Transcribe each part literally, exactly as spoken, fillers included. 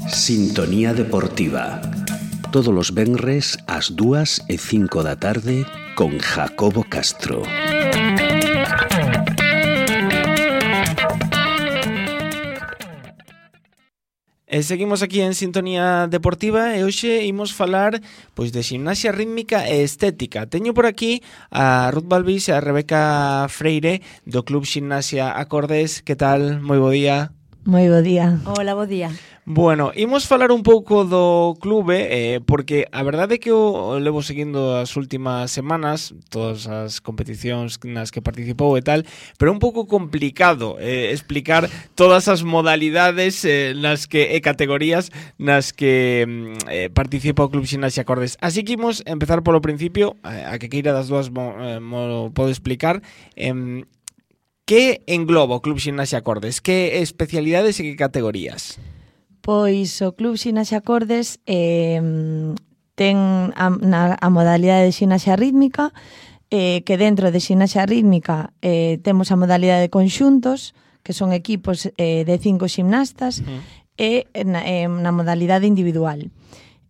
Sintonía Deportiva. Todos os venres ás dúas e cinco da tarde con Jacobo Castro. E seguimos aquí en Sintonía Deportiva e hoxe imos falar pois de ximnasia rítmica e estética. Teño por aquí a Ruth Balbís e a Rebeca Freire do Club Ximnasia Acordes. Que tal? Moi bo día. Moi bo día. Hola, bo día. Bueno, imos falar un pouco do clube, eh, porque a verdade é que eu levo seguindo as últimas semanas, todas as competicións nas que participou e tal, pero é un pouco complicado eh, explicar todas as modalidades eh, nas que e categorías nas que eh, participa o Club Ximnasia Acordes. Así que imos empezar polo principio, a que queira das dúas mo, eh, mo pode explicar. Eh, que engloba o Club Ximnasia Acordes? Que especialidades e que categorías? Pois o Club Ximnasia Acordes eh, ten a, na, a modalidade de ximnasia rítmica, eh, que dentro de ximnasia rítmica eh, temos a modalidade de conxuntos, que son equipos eh, de cinco ximnastas, uh-huh. e na, eh, na modalidade individual.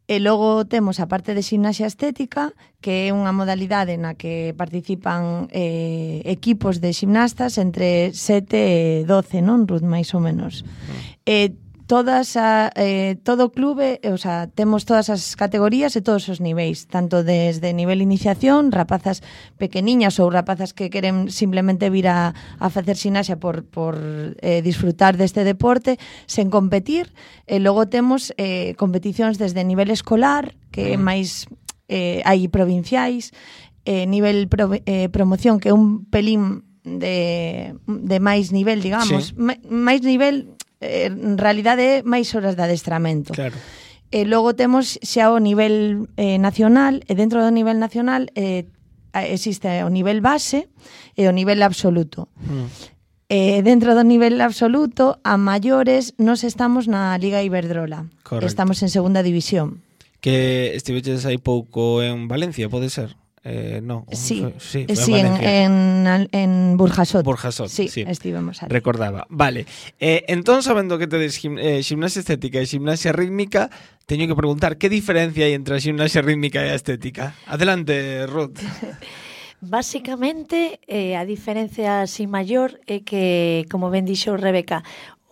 E logo temos a parte de ximnasia estética, que é unha modalidade na que participan eh, equipos de ximnastas entre sete e doce, non, Ruth, máis ou menos. Uh-huh. E todas a, eh, todo o clube, o sea, temos todas as categorías e todos os niveis, tanto desde nivel iniciación, rapazas pequeniñas ou rapazas que queren simplemente vir a, a facer ximnasia por, por eh, disfrutar deste deporte sen competir, e logo temos eh, competicións desde nivel escolar, que é máis eh, hai provinciais, eh, nivel pro, eh, promoción, que é un pelín de, de máis nivel, digamos, sí. máis nivel, en realidade é máis horas de adestramento. Claro. E logo temos xa o nivel eh, nacional, e dentro do nivel nacional eh, existe o nivel base e o nivel absoluto. Mm. E dentro do nivel absoluto, a maiores, nos estamos na Liga Iberdrola. Correcto. Estamos en segunda división. Que estiveches aí pouco en Valencia, pode ser? Eh, no, sí, fue, sí, sí en, en, en Burjasot. Burjasot, sí, sí. Estivemos ali. Recordaba. Vale. Eh, entón, sabendo que tedes gim, eh, ximnasia estética e ximnasia rítmica, teño que preguntar que diferencia hai entre a ximnasia rítmica e a estética. Adelante, Ruth. Básicamente, eh, a diferencia así maior é que, como ben dixo Rebeca,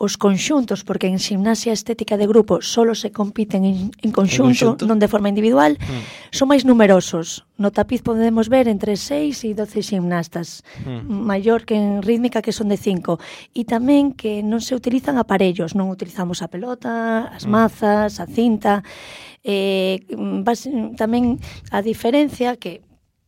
os conxuntos, porque en ximnasia estética de grupo solo se compiten en, en conxunto, non de forma individual, mm. son máis numerosos. No tapiz podemos ver entre seis e doce ximnastas, mm. maior que en rítmica, que son de cinco. E tamén que non se utilizan aparellos, non utilizamos a pelota, as mazas, a cinta. Eh, tamén a diferencia, que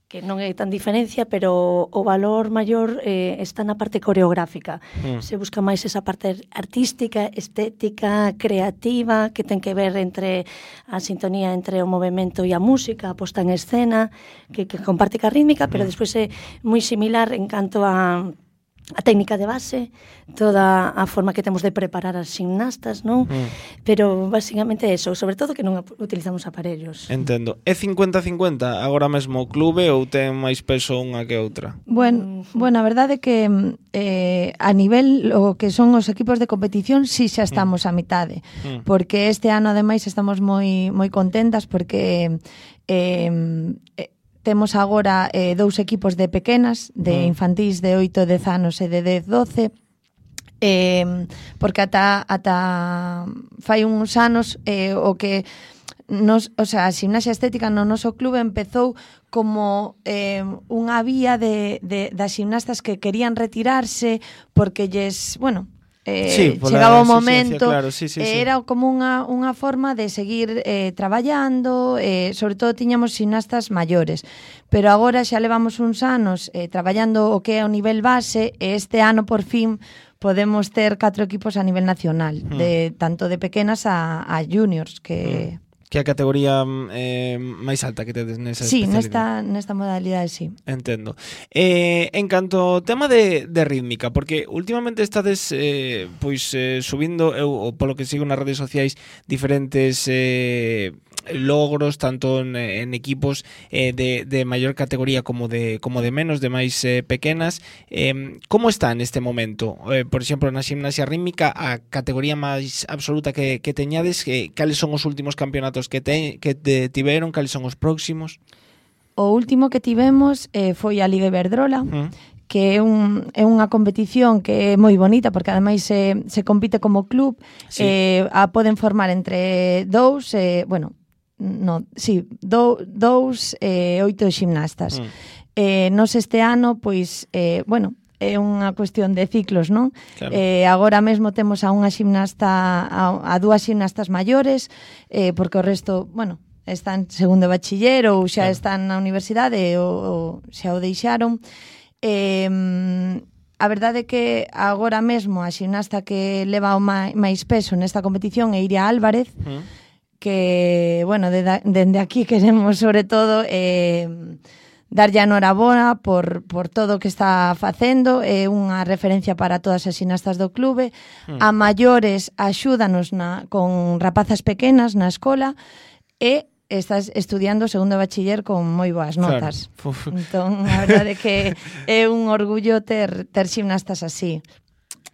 que non é tan diferencia, pero o valor maior eh, está na parte coreográfica. Mm. Se busca máis esa parte artística, estética, creativa, que ten que ver entre a sintonía entre o movimento e a música, a posta en escena, que, que comparte ca rítmica, pero mm. despois é moi similar en canto a a técnica de base, toda a forma que temos de preparar as ximnastas, non? Mm. Pero basicamente eso, sobre todo que non utilizamos aparellos. Entendo. É cincuenta cincuenta agora mesmo o clube ou ten máis peso unha que outra? Bueno, bueno, a verdade é que eh, a nivel o que son os equipos de competición si sí xa estamos mm. a mitade, mm. porque este ano ademais estamos moi moi contentas porque eh, eh temos agora eh, dous equipos de pequenas, de infantís de oito, dez anos e de dez, doce, eh, porque ata, ata fai uns anos eh, o que nos, o sea, a ximnasia estética no noso clube empezou como eh, unha vía de, de, das ximnastas que querían retirarse porque lles, bueno, Eh, sí, chegaba o momento, claro, sí, sí, sí. Era como unha, unha forma de seguir eh, traballando, eh, sobre todo tiñamos ximnastas maiores, pero agora xa levamos uns anos eh, traballando o que é o nivel base, e este ano por fin podemos ter catro equipos a nivel nacional, mm. de tanto de pequenas a, a juniors, que... Mm. Que a categoría eh, máis alta que tedes nesa sí, especialidade. Sí, nesta, nesta modalidade, sí. Entendo. Eh, en canto ao tema de, de rítmica, porque últimamente estades eh, pois eh, subindo, eu, polo que sigo nas redes sociais, diferentes eh, logros tanto en, en equipos eh, de, de maior categoría como de como de menos, de máis eh, pequenas. Eh, como está neste momento? Eh, por exemplo, na gimnasia rítmica, a categoría máis absoluta que, que teñades, que, cales son os últimos campeonatos que, te, que te tiveron, cales son os próximos? O último que tivemos eh, foi a Liga Iberdrola, Uh. que é, un, é unha competición que é moi bonita, porque ademais se, se compite como club, Sí. eh, a poden formar entre dous, eh, bueno, no, sí, do, dous e eh, oito gimnastas. Mm. Eh, nos este ano, pois, eh, bueno, é unha cuestión de ciclos, non? Claro. Eh, agora mesmo temos a unha gimnasta, a, a dúas gimnastas maiores, eh, porque o resto, bueno, están segundo bachiller ou xa Claro. están na universidade ou, ou xa o deixaron. Eh, a verdade é que agora mesmo a ximnasta que leva o máis peso nesta competición é Iria Álvarez, Mm. que, bueno, dende de, de aquí queremos sobre todo eh, darlle a enhoraboa por, por todo o que está facendo, é unha referencia para todas as ximnastas do clube. Mm. A maiores axúdanos na, con rapazas pequenas na escola e estás estudiando segundo bachiller con moi boas notas. Claro. Entón, a verdade é que é un orgullo ter, ter ximnastas así.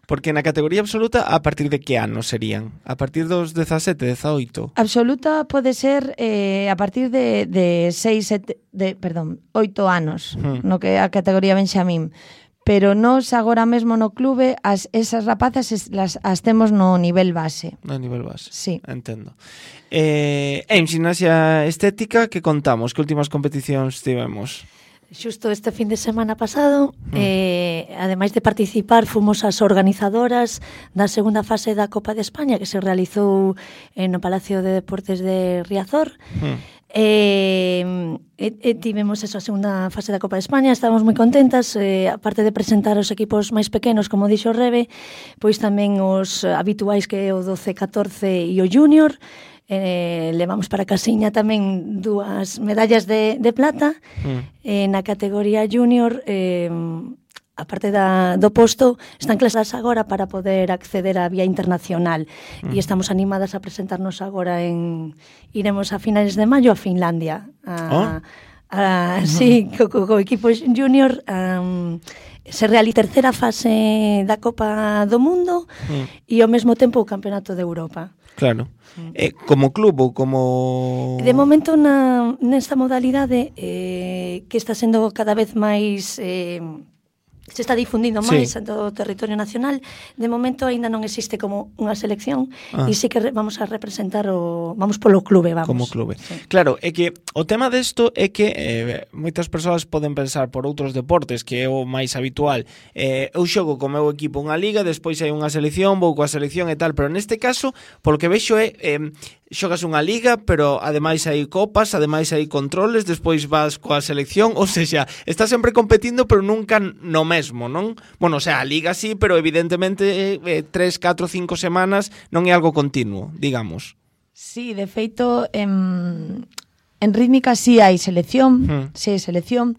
Porque na categoría absoluta, a partir de que ano serían? A partir dos dezasete, dezaoito? Absoluta pode ser eh, a partir de, de seis, sete, de, perdón, oito anos, Hmm. no que é a categoría Benxamín. Pero nós agora mesmo no clube as, esas rapazas es, las, as temos no nivel base. No nivel base. Sí. Entendo. Eh, en gimnasia estética, que contamos? Que últimas competicións tivemos? Xusto este fin de semana pasado, mm. eh, ademais de participar, fomos as organizadoras da segunda fase da Copa de España, que se realizou no Palacio de Deportes de Riazor. Mm. Eh, e, e tivemos esa segunda fase da Copa de España, estábamos moi contentas, eh, aparte de presentar os equipos máis pequenos, como dixo Rebe, pois tamén os habituais, que é o doce, catorce e o junior. Eh, levamos para casiña tamén dúas medallas de, de plata. Mm. Eh, na categoría junior, eh, aparte da, do posto, están clasadas agora para poder acceder á vía internacional. Mm. E estamos animadas a presentarnos agora en... Iremos a finales de maio a Finlandia. A, oh. a, sí, co, co, co equipo junior... Um, se realiza a terceira fase da Copa do Mundo mm. e ao mesmo tempo o Campeonato de Europa. Claro. Mm. Eh, como club ou como... De momento na, nesta modalidade eh, que está sendo cada vez máis... Eh, se está difundindo máis sí. en todo o territorio nacional, de momento aínda non existe como unha selección ah. e sí que re, vamos a representar o vamos polo clube, vamos. Como clube. Sí. Claro, é que o tema desto é que eh, moitas persoas poden pensar por outros deportes, que é o máis habitual. Eh, eu xogo co meu equipo unha liga, despois hai unha selección, vou coa selección e tal, pero neste caso, polo que vexo é eh, xogas unha liga, pero ademais hai copas, ademais hai controles, despois vas coa selección, ou seja, estás sempre competindo, pero nunca no mesmo, non? Bueno, o sea, a liga sí, pero evidentemente eh, tres, catro, cinco semanas non é algo continuo, digamos. Sí, de feito, en, en rítmica sí hai selección, hmm. sí hai selección,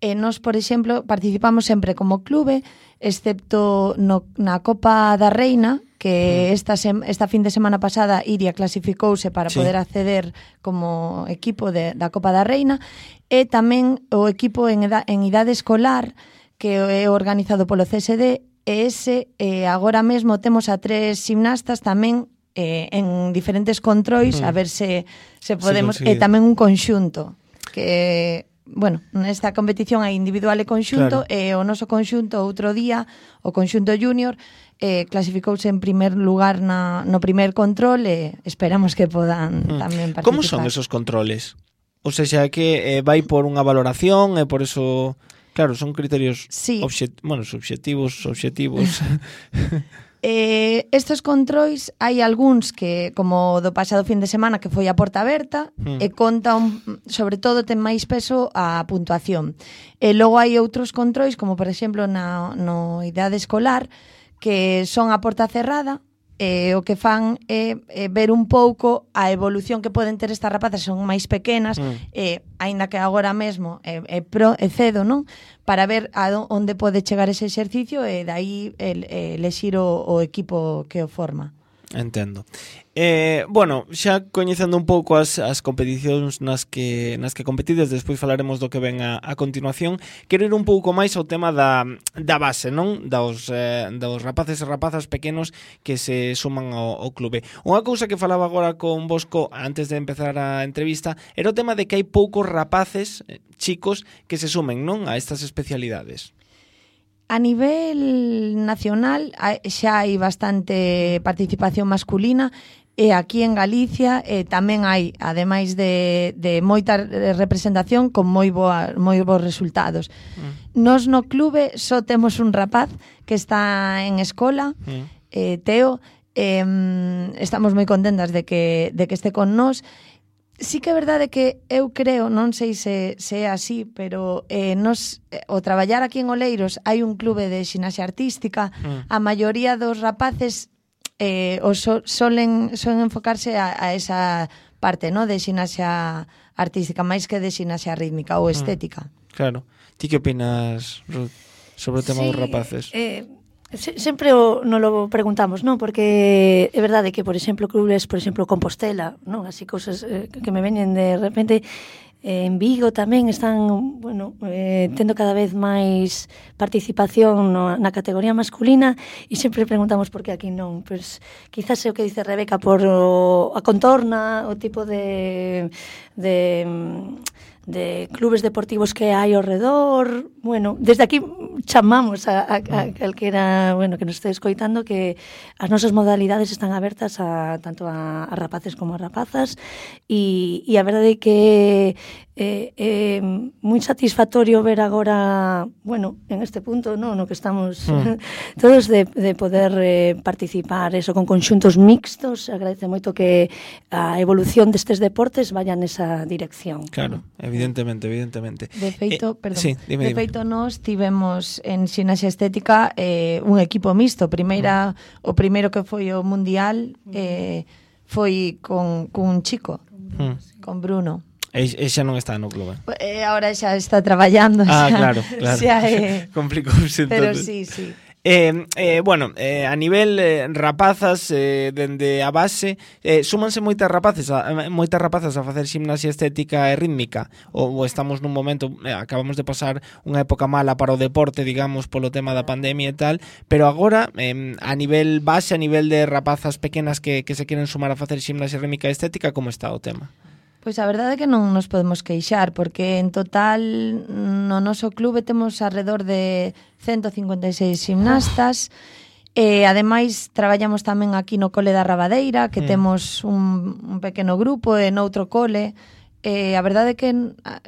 e nós, por exemplo, participamos sempre como clube, excepto no, na Copa da Reina, que esta, sem, esta fin de semana pasada Iria clasificouse para sí. poder acceder como equipo de, da Copa da Reina, e tamén o equipo en, eda, en idade escolar, que é organizado polo C S D, e ese eh, agora mesmo temos a tres gimnastas tamén eh, en diferentes controis, mm. a ver se, se podemos... Sí, e tamén un conxunto, que... Bueno, nesta competición hai individual e conxunto, claro. E o noso conxunto outro día, o conxunto junior, eh, clasificouse en primer lugar na, no primer control e esperamos que podan mm. tamén participar. Como son esos controles? O sea, que eh, vai por unha valoración e por eso... Claro, son criterios sí. obxet, bueno, subxectivos, obxectivos. Eh, estes controis hai algúns que, como do pasado fin de semana, que foi a porta aberta, mm. e conta, un, sobre todo, ten máis peso a puntuación. E logo hai outros controis, como por exemplo na no idade escolar, que son a porta cerrada, e o que fan é, é ver un pouco a evolución que poden ter estas rapazas, son máis pequenas, mm. e aínda que agora mesmo é, é, pro, é cedo, non? Para ver a onde pode chegar ese exercicio e dai el, el, elexir o, o equipo que o forma. Entendo. Eh, bueno, xa coñecendo un pouco as, as competicións nas que nas que competides, despois falaremos do que ven a, a continuación. Quero ir un pouco máis ao tema da, da base, non? Dos, eh, dos rapaces e rapazas pequenos que se suman ao, ao clube. Unha cousa que falaba agora con Bosco antes de empezar a entrevista era o tema de que hai poucos rapaces, chicos, que se sumen, non? A estas especialidades. A nivel nacional xa hai bastante participación masculina e aquí en Galicia eh, tamén hai, ademais de, de moita representación, con moi, boa, moi bons resultados. Mm. Nos no clube só temos un rapaz que está en escola, mm. eh, Teo, eh, estamos moi contentas de que, de que este con nós. Sí que é verdade que eu creo, non sei se, se é así, pero eh, nos, eh, o traballar aquí en Oleiros hai un clube de ximnasia artística, mm. a maioría dos rapaces eh, o so, solen, solen enfocarse a, a esa parte, no, de ximnasia artística, máis que de ximnasia rítmica ou estética. Mm. Claro. Ti que opinas, Ruth, sobre o tema sí, dos rapaces? Eh, sempre o, non lo preguntamos, non? Porque é verdade que, por exemplo, clubes, por exemplo, Compostela, non? Así cousas eh, que me veñen de repente. Eh, en Vigo tamén están, bueno, eh, tendo cada vez máis participación no, na categoría masculina e sempre preguntamos por que aquí non. Pois quizás é o que dice Rebeca por o, a contorna, o tipo de... de de clubes deportivos que hai ao redor. Bueno, desde aquí chamamos a, a, a calquera, bueno, que nos este escoitando que as nosas modalidades están abertas a tanto a, a rapaces como a rapazas e, e a verdade é que é eh, eh, moi satisfactorio ver agora, bueno, en este punto, no, no que estamos mm. todos de, de poder eh, participar eso con conxuntos mixtos. Agradece moito que a evolución destes deportes vaya nesa dirección. Claro, evidentemente, evidentemente. De feito, eh, perdón, sí, dime, de dime. feito nós tivemos en ximnasia estética eh, un equipo mixto. Primeira, mm. o primeiro que foi o mundial eh, foi con, con un chico, mm. con Bruno. E, e xa non está no clube. E agora xa está traballando. Ah, xa, claro, claro. Xa é... Complicouse Pero entonces. sí, sí. Eh, eh, bueno, eh, a nivel eh, rapazas, eh, dende a base, eh, súmanse moitas rapaces a, moitas rapazas a facer ximnasia estética e rítmica, ou, ou estamos nun momento, eh, acabamos de pasar unha época mala para o deporte, digamos, polo tema da pandemia e tal, pero agora, eh, a nivel base, a nivel de rapazas pequenas que, que se queren sumar a facer ximnasia rítmica e estética, como está o tema? Pois a verdade é que non nos podemos queixar, porque en total no noso clube temos alrededor de ciento cincuenta e seis gimnastas, e ademais traballamos tamén aquí no cole da Rabadeira, que mm. temos un, un pequeno grupo, e noutro cole, e a verdade é que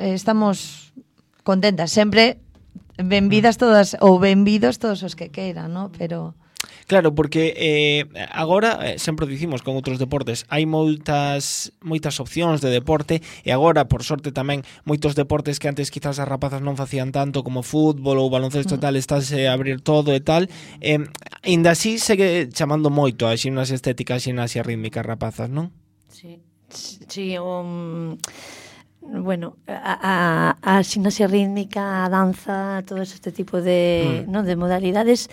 estamos contentas, sempre benvidas todas, ou benvidos todos os que queiran, ¿no? Pero... Claro, porque eh, agora, eh, sempre dicimos con outros deportes, hai moitas moitas opcións de deporte e agora, por sorte tamén, moitos deportes que antes quizás as rapazas non facían tanto como fútbol ou baloncesto e tal, estáse a abrir todo e tal, eh, ainda así segue chamando moito a ximnasia estética, a ximnasia rítmica rapazas, non? Sí, sí, um... bueno, a, a, a ximnasia rítmica, a danza, todo este tipo de, mm. no, de modalidades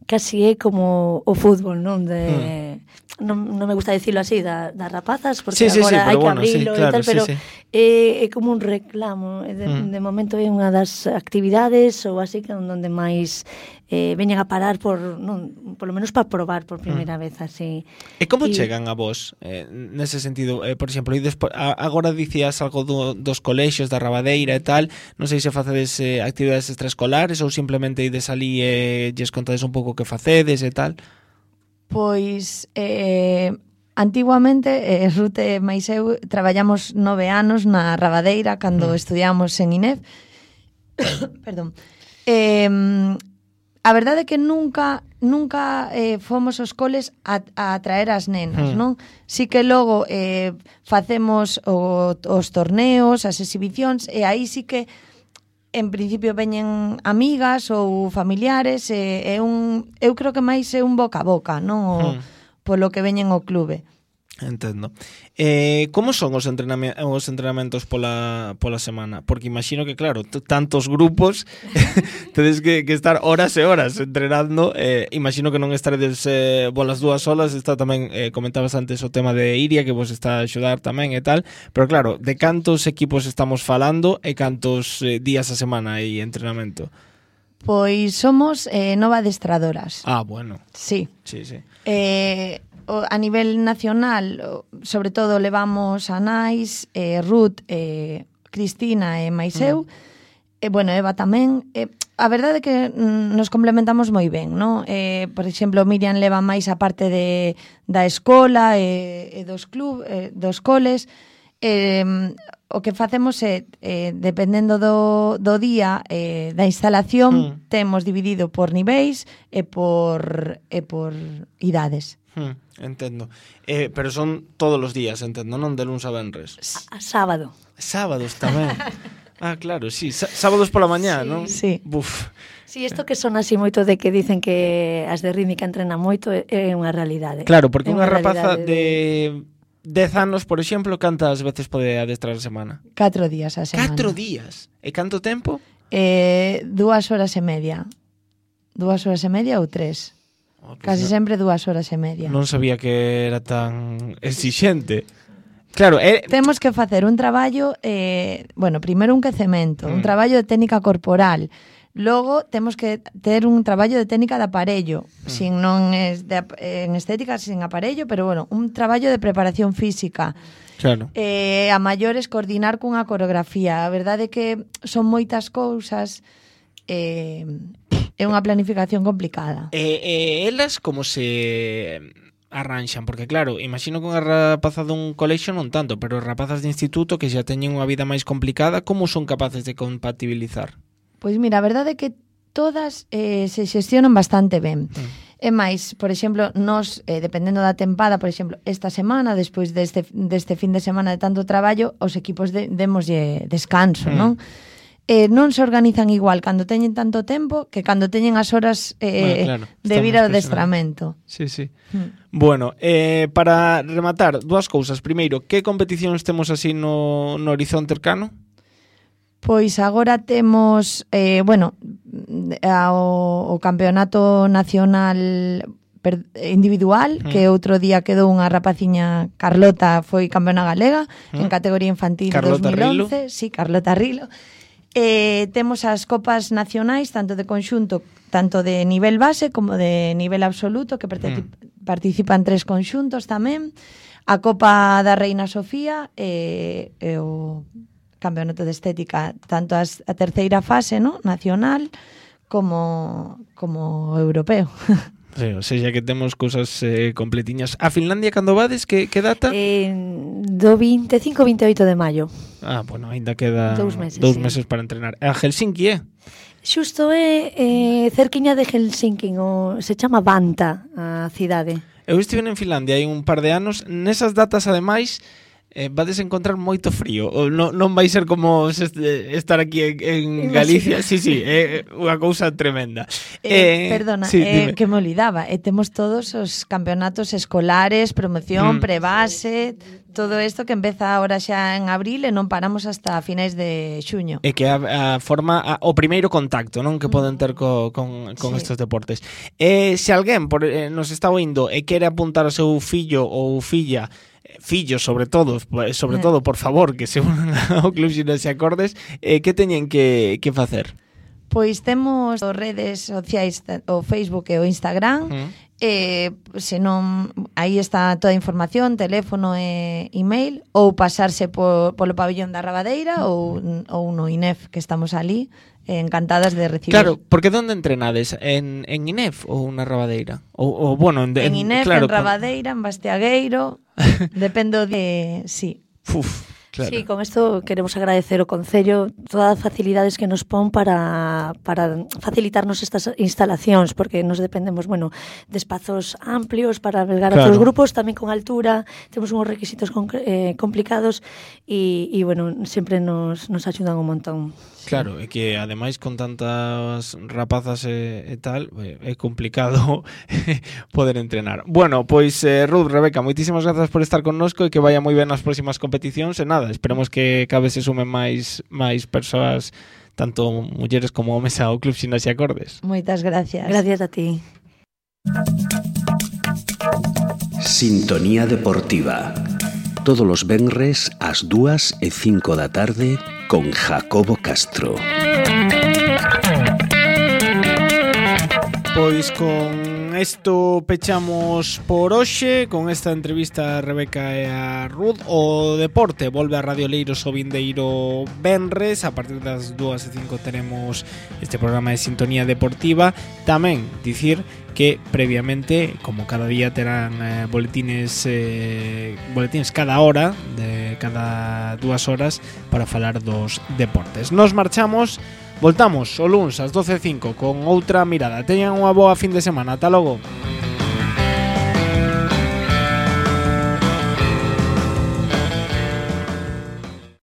casi é como o fútbol, non? De, mm. non, non me gusta dicirlo así, da, das rapazas, porque sí, sí, agora sí, hai que bueno, abrilo sí, claro, e tal, pero sí, sí. É, é como un reclamo. De, mm. de momento é unha das actividades ou así que onde máis eh, veñen a parar por, non, por lo menos para probar por primeira mm. vez así. E como y... chegan a vos eh, nese sentido? Eh, por exemplo, e despo, a, agora dicías algo do, dos colexios da Rabadeira e tal, non sei se facedes eh, actividades extraescolares ou simplemente ides ali e eh, lles contades un pouco que facedes e tal. Pois eh, antiguamente eh, Ruth e máis eu traballamos nove anos na Rabadeira cando mm. estudiamos en INEF. Perdón. Eh, a verdade é que nunca nunca eh, fomos aos coles a, a traer as nenas, mm. non? Si que logo eh, facemos o, os torneos, as exhibicións, e aí sí que en principio veñen amigas ou familiares, e, e un, eu creo que máis é un boca a boca, non? O, mm. polo que veñen ao clube. Entendo. Eh, como son os, entrenami- os entrenamentos pola, pola semana? Porque imagino que, claro, t- tantos grupos tedes que, que estar horas e horas entrenando. Eh, imagino que non estaredes eh, bolas dúas solas. Está tamén, eh, comentabas antes o tema de Iria, que vos está a axudar tamén e tal. Pero claro, de cantos equipos estamos falando e cantos eh, días a semana hai entrenamento? Pois somos eh, nove adestradoras. Ah, bueno. Sí. Sí, sí. Eh, o- a nivel nacional, o- sobre todo levamos a Nais, eh, Ruth, eh, Cristina e máis eu, e bueno, Eva tamén. Eh, a verdade é que mm, nos complementamos moi ben, non? Eh, por exemplo, Miriam leva máis a parte de, da escola e, e dos club, eh, dos coles. Eh, o que facemos é, eh, dependendo do, do día eh, da instalación, Mm. temos dividido por niveis e por, e por idades. Hmm, entendo. Eh, pero son todos os días, entendo, non de luns a venres. A, a sábado. Sábados tamén. Ah, claro, sí, Sá- sábados pola mañá, Sí. non? Sí. Buf. Si, isto que son así moito de que dicen que as de rítmica entrenan moito é é unha realidade. Claro, porque É unha rapaza realidade de dez anos, por exemplo, cantas veces pode adestrar a semana? Catro días a semana. Catro días. E canto tempo? Eh, dúas horas e media. Dúas horas e media ou tres. Oh, pues Casi non, sempre dúas horas e media. non sabía que era tan exixente. Claro, é... Temos que facer un traballo, eh, bueno, primeiro un quecemento, Mm. un traballo de técnica corporal. Logo temos que ter un traballo de técnica de aparello, Mm. sin non es de, ap- en estética sin aparello, pero bueno, un traballo de preparación física. Claro. Eh, a maiores coordinar cunha coreografía. A verdade é que son moitas cousas, eh, é unha planificación complicada. E, e elas como se arranxan? Porque claro, imagino que unha rapaza dun colexio non tanto, pero rapazas de instituto que xa teñen unha vida máis complicada, como son capaces de compatibilizar? Pois mira, a verdade é que todas eh, se xestionan bastante ben. Mm. E máis, por exemplo, nós, eh, dependendo da tempada, por exemplo, esta semana, despois deste, deste fin de semana de tanto traballo, os equipos de, demoslle descanso, Mm. non? Eh, non se organizan igual cando teñen tanto tempo que cando teñen as horas eh, Bueno, claro, de vir estamos ao adestramento. Sí, sí. Mm. Bueno, eh, para rematar, dúas cousas. Primeiro, que competicións temos así no, no horizonte cercano? Pois agora temos, eh, bueno, a- o, o campeonato nacional per, individual, Mm. que outro día quedou unha rapaciña, Carlota, foi campeona galega, Mm. en categoría infantil Carlota dos mil once. Sí, Carlota Rilo. Eh, temos as copas nacionais, tanto de conxunto, tanto de nivel base como de nivel absoluto, que particip- Mm. participan tres conxuntos tamén. A Copa da Reina Sofía e, e o campeonato de estética, tanto as, a terceira fase, ¿no?, nacional como como europeo. Sí, o sea, que temos cousas eh, completiñas. A Finlandia, cando vades, que, que data? Eh, do veinticinco ao veintioito de maio. Ah, bueno, ainda queda Dous meses, dous sí. meses para entrenar. A Helsinki, eh? Xusto é eh, cerquiña de Helsinki, o, se chama Vanta a cidade. Eu estive en Finlandia hai un par de anos. Nesas datas, ademais, eh, vades encontrar moito frío. O non, non vai ser como se este- estar aquí en, en Galicia. Sí, sí, é unha cousa tremenda. Eh, perdona, sí, eh, dime. que me olvidaba, e temos todos os campeonatos escolares, promoción, Mm. prebase, todo isto que empeza agora xa en abril e non paramos hasta finais de xuño. É que a, a forma a, o primeiro contacto, non, que poden ter co, con, con Sí. estes deportes. Eh, se alguén por, eh, nos está oindo e quere apuntar ao seu fillo ou filla, eh, fillos sobre todo, sobre Eh. todo, por favor, que se unan ao Club Ximnasia Acordes, eh, que teñen que, que facer? Pois temos as redes sociais, o Facebook e o Instagram, Mm. eh, se non, aí está toda a información, teléfono e email, ou pasarse por, polo pabellón da Rabadeira ou, ou no I N E F, que estamos ali, eh, encantadas de recibir. Claro, porque onde entrenades? En, en I N E F ou na Rabadeira? Ou, ou bueno, en, En I N E F, claro, en Rabadeira, en Bastiagueiro, dependo de... Sí. Con, uf, claro. Sí, con isto queremos agradecer ao Concello todas as facilidades que nos pon para, para facilitarnos estas instalacións, porque nos dependemos, bueno, de espazos amplios para albergar Claro. a todos os grupos, tamén con altura, temos uns requisitos concre- eh, complicados e, e, bueno, sempre nos, nos axudan un montón. Claro, é que ademais con tantas rapazas e, e tal, é complicado poder entrenar. Bueno, pois eh, Ruth, Rebeca, moitísimas grazas por estar connosco e que vaya moi ben nas próximas competicións e nada, esperemos que cada vez se sumen máis máis persoas, tanto mulleres como homes ao Club Ximnasia Acordes. Moitas gracias. Gracias a ti. Sintonía Deportiva. Todos os venres ás dúas e cinco da tarde con Jacobo Castro. Pois con isto pechamos por hoxe, con esta entrevista a Rebeca e a Ruth. O deporte volve a Radio Leiros o vindeiro venres. A partir das dúas e cinco teremos este programa de Sintonía Deportiva. Tamén dicir que previamente, como cada día, terán eh, boletines eh, boletines cada hora, de cada dúas horas, para falar dos deportes. Nos marchamos, voltamos o luns ás doce e cinco con outra mirada. Teñan unha boa fin de semana. Ata logo.